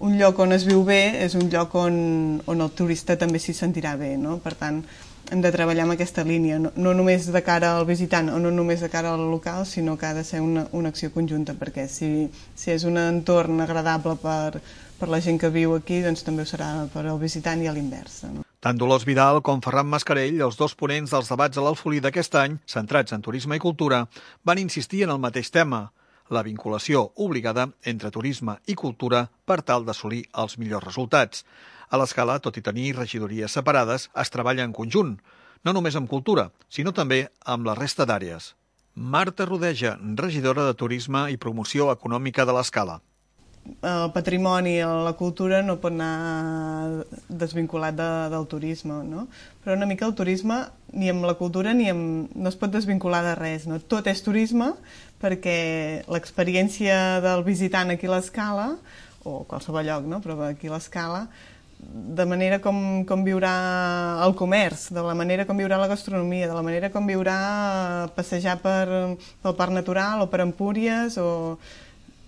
un lloc on es viu bé és un lloc on el turista també s'hi sentirà bé, no? Per tant, hem de treballar en aquesta línia, no només de cara al visitant o no només de cara al local, sinó que ha de ser una acció conjunta, perquè si és un entorn agradable per la gent que viu aquí, doncs també ho serà per al visitant i a l'inversa, no? Tant Dolors Vidal com Ferran Mascarell, els dos ponents dels debats a l'Alfolí d'aquest any, centrats en turisme i cultura, van insistir en el mateix tema, la vinculació obligada entre turisme i cultura per tal d'assolir els millors resultats. A l'Escala, tot i tenir regidories separades, es treballa en conjunt, no només amb cultura, sinó també amb la resta d'àrees. Marta Rodeja, regidora de Turisme i Promoció Econòmica de l'Escala. El patrimoni i la cultura no pot anar desvinculat del turisme, no? Però una mica el turisme, ni amb la cultura no es pot desvincular de res, no? Tot és turisme perquè l'experiència del visitant aquí a l'Escala, o qualsevol lloc, no? Però aquí a l'Escala, de manera com viurà el comerç, de la manera com viurà la gastronomia, de la manera com viurà passejar pel Parc Natural o per Empúries o...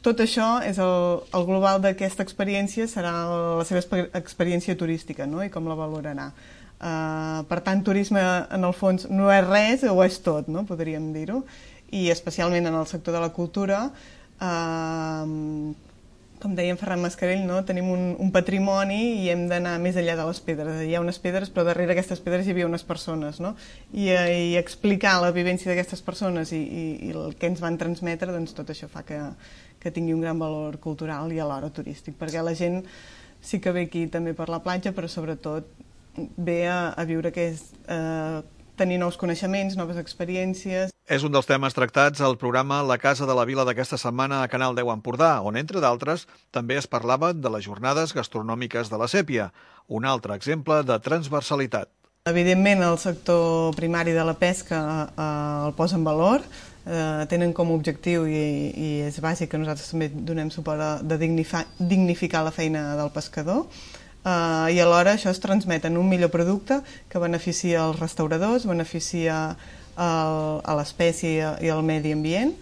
Tot això, és el global d'aquesta experiència, serà la seva experiència turística, no? I com la valorarà. Per tant, turisme, en el fons, no és res o és tot, no? Podríem dir-ho. I especialment en el sector de la cultura, com deia en Ferran Mascarell, no? Tenim un patrimoni i hem d'anar més enllà de les pedres. Hi ha unes pedres, però darrere aquestes pedres hi havia unes persones, no? I explicar la vivència d'aquestes persones i el que ens van transmetre, doncs tot això fa que tingui un gran valor cultural i alhora turístic, perquè la gent sí que ve aquí també per la platja, però sobretot ve a viure que és tenir nous coneixements, noves experiències. És un dels temes tractats al programa La Casa de la Vila d'aquesta setmana a Canal 10 Empordà, on, entre d'altres, també es parlava de les jornades gastronòmiques de la Sèpia, un altre exemple de transversalitat. Evidentment, el sector primari de la pesca el posa en valor, tenen com a objectiu, i és bàsic que nosaltres també donem suport de dignificar la feina del pescador, i alhora això es transmet en un millor producte que beneficia els restauradors, beneficia a l'espècie i al medi ambient,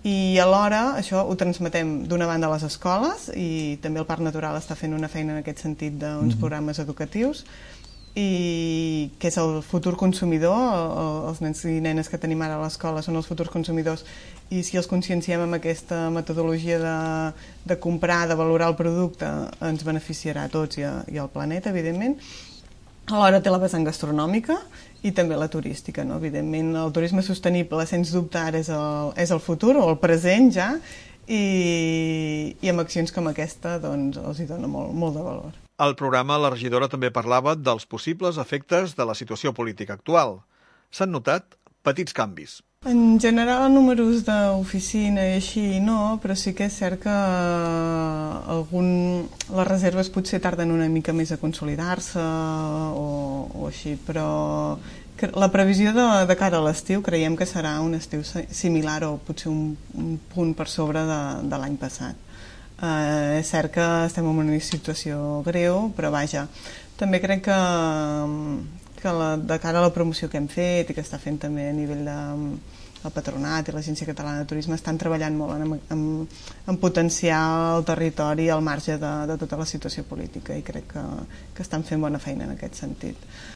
i alhora això ho transmetem d'una banda a les escoles, i també el Parc Natural està fent una feina en aquest sentit d'uns programes educatius, i que és el futur consumidor, els nens i nenes que tenim ara a l'escola són els futurs consumidors, i si els conscienciem amb aquesta metodologia de comprar, de valorar el producte, ens beneficiarà a tots i al planeta, evidentment. Alhora té la vessant gastronòmica i també la turística, no? Evidentment, el turisme sostenible, sens dubte, ara és el futur, o el present ja, i amb accions com aquesta doncs, els hi dona molt de valor. Al programa, la regidora també parlava dels possibles efectes de la situació política actual. S'han notat petits canvis. En general, números d'oficina i així no, però sí que és cert que les reserves potser tarden una mica més a consolidar-se o així, però la previsió de cara a l'estiu creiem que serà un estiu similar o potser un punt per sobre de l'any passat. És cert que estem en una situació greu, però vaja, també crec que de cara a la promoció que hem fet i que està fent també a nivell del Patronat i l'Agència Catalana de Turisme estan treballant molt en potenciar el territori al marge de tota la situació política, i crec que estan fent bona feina en aquest sentit.